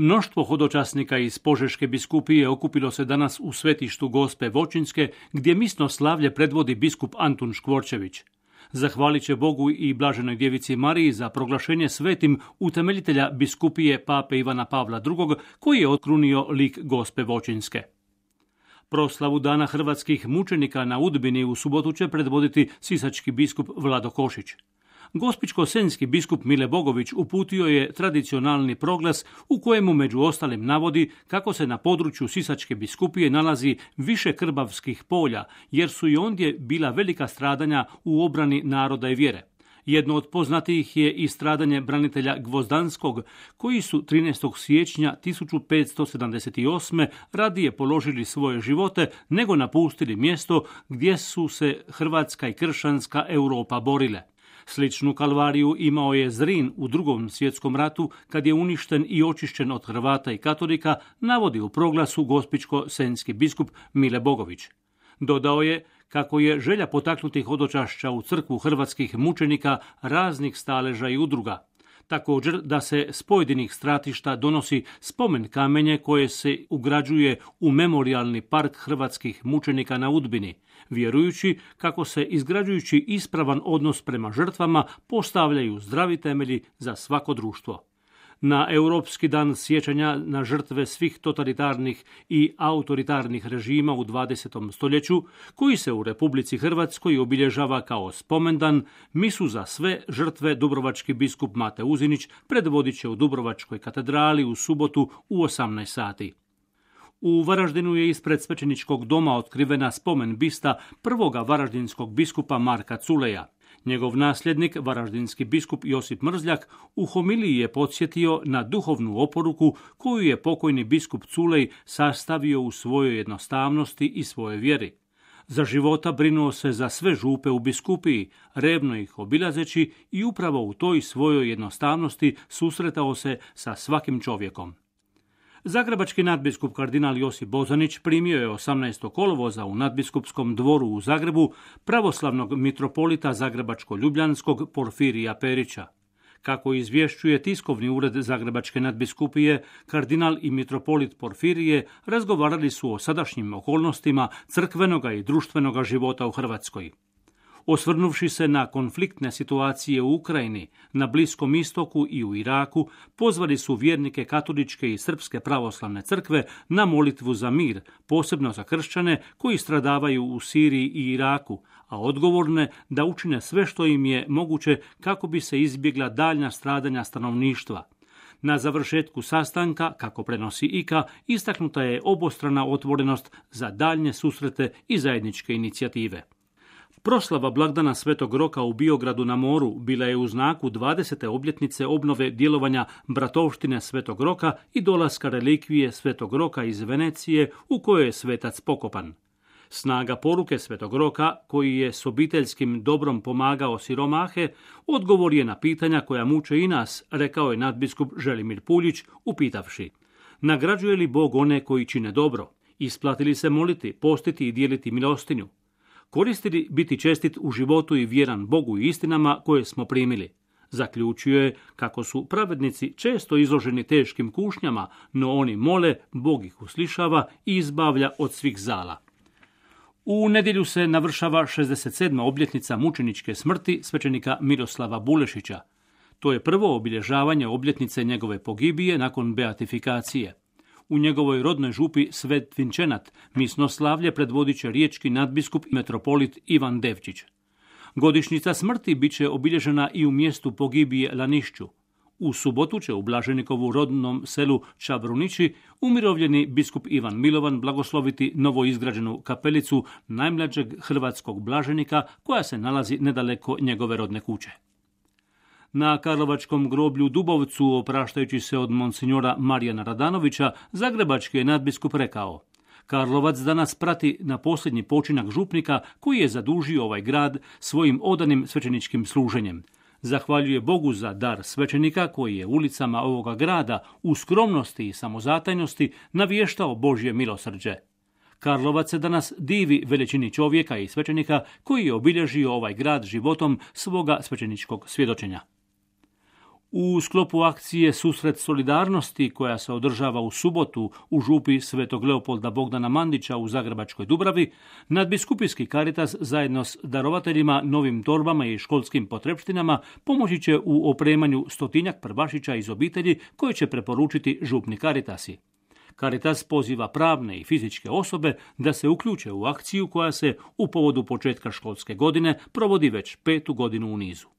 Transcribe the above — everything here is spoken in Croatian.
Mnoštvo hodočasnika iz Požeške biskupije okupilo se danas u svetištu Gospe Voćinske, gdje misno slavlje predvodi biskup Antun Škvorčević. Zahvalit će Bogu i Blaženoj Djevici Mariji za proglašenje svetim utemeljitelja biskupije pape Ivana Pavla II, koji je otkrunio lik Gospe Voćinske. Proslavu Dana hrvatskih mučenika na Udbini u subotu će predvoditi sisački biskup Vlado Košić. Gospićko-senjski biskup Mile Bogović uputio je tradicionalni proglas u kojemu među ostalim navodi kako se na području Sisačke biskupije nalazi više krbavskih polja, jer su i ondje bila velika stradanja u obrani naroda i vjere. Jedno od poznatijih je i stradanje branitelja Gvozdanskog, koji su 13. siječnja 1578. radije položili svoje živote nego napustili mjesto gdje su se hrvatska i kršćanska Europa borile. Sličnu kalvariju imao je Zrin u Drugom svjetskom ratu, kad je uništen i očišćen od Hrvata i katolika, navodi u proglasu gospićko-senjski biskup Mile Bogović. Dodao je kako je želja potaknuti hodočašća u crkvu hrvatskih mučenika raznih staleža i udruga. Također da se s pojedinih stratišta donosi spomen kamenje koje se ugrađuje u memorijalni park hrvatskih mučenika na Udbini, vjerujući kako se izgrađujući ispravan odnos prema žrtvama postavljaju zdravi temelji za svako društvo. Na Europski dan sjećanja na žrtve svih totalitarnih i autoritarnih režima u 20. stoljeću, koji se u Republici Hrvatskoj obilježava kao spomendan, misu za sve žrtve dubrovački biskup Mate Uzinić predvodit će u Dubrovačkoj katedrali u subotu u 18 sati. U Varaždinu je ispred svećeničkog doma otkrivena spomen bista prvoga varaždinskog biskupa Marka Culeja. Njegov nasljednik, varaždinski biskup Josip Mrzljak, u homiliji je podsjetio na duhovnu oporuku koju je pokojni biskup Culej sastavio u svojoj jednostavnosti i svojoj vjeri. Za života brinuo se za sve župe u biskupiji, revno ih obilazeći i upravo u toj svojoj jednostavnosti susretao se sa svakim čovjekom. Zagrebački nadbiskup kardinal Josip Bozanić primio je 18. kolovoza u nadbiskupskom dvoru u Zagrebu pravoslavnog mitropolita Zagrebačko-ljubljanskog Porfirija Perića. Kako izvješćuje tiskovni ured Zagrebačke nadbiskupije, kardinal i mitropolit Porfirije razgovarali su o sadašnjim okolnostima crkvenoga i društvenoga života u Hrvatskoj. Osvrnuvši se na konfliktne situacije u Ukrajini, na Bliskom istoku i u Iraku, pozvali su vjernike katoličke i srpske pravoslavne crkve na molitvu za mir, posebno za kršćane koji stradavaju u Siriji i Iraku, a odgovorne da učine sve što im je moguće kako bi se izbjegla daljnja stradanja stanovništva. Na završetku sastanka, kako prenosi IKA, istaknuta je obostrana otvorenost za daljnje susrete i zajedničke inicijative. Proslava blagdana Svetog Roka u Biogradu na moru bila je u znaku 20. obljetnice obnove djelovanja bratovštine Svetog Roka i dolaska relikvije Svetog Roka iz Venecije u kojoj je svetac pokopan. Snaga poruke Svetog Roka, koji je s obiteljskim dobrom pomagao siromahe, odgovor je na pitanja koja muče i nas, rekao je nadbiskup Želimir Puljić, upitavši: nagrađuje li Bog one koji čine dobro? Isplati li se moliti, postiti i dijeliti milostinju? Koristi li biti čestit u životu i vjeran Bogu i istinama koje smo primili? Zaključio je kako su pravednici često izloženi teškim kušnjama, no oni mole, Bog ih uslišava i izbavlja od svih zala. U nedjelju se navršava 67. obljetnica mučeničke smrti svećenika Miroslava Bulešića. To je prvo obilježavanje obljetnice njegove pogibije nakon beatifikacije. U njegovoj rodnoj župi Svet Vinčenat misno slavlje predvodit će riječki nadbiskup i metropolit Ivan Devčić. Godišnjica smrti bit će obilježena i u mjestu pogibije Lanišću. U subotu će u Blaženikovu rodnom selu Čabrunići umirovljeni biskup Ivan Milovan blagosloviti novoizgrađenu kapelicu najmlađeg hrvatskog blaženika koja se nalazi nedaleko njegove rodne kuće. Na Karlovačkom groblju Dubovcu, opraštajući se od monsinjora Marijana Radanovića, zagrebački je nadbiskup rekao: Karlovac danas prati na posljednji počinak župnika koji je zadužio ovaj grad svojim odanim svećeničkim služenjem. Zahvaljuje Bogu za dar svećenika koji je ulicama ovoga grada u skromnosti i samozatajnosti navještao Božje milosrđe. Karlovac se danas divi veličini čovjeka i svećenika koji je obilježio ovaj grad životom svoga svećeničkog svjedočenja. U sklopu akcije Susret solidarnosti, koja se održava u subotu u župi Svetog Leopolda Bogdana Mandića u Zagrebačkoj Dubravi, nadbiskupijski Caritas zajedno s darovateljima, novim torbama i školskim potrepštinama pomoći će u opremanju 100-tinjak prvašića iz obitelji koje će preporučiti župni Caritasi. Caritas poziva pravne i fizičke osobe da se uključe u akciju koja se u povodu početka školske godine provodi već 5. godinu u nizu.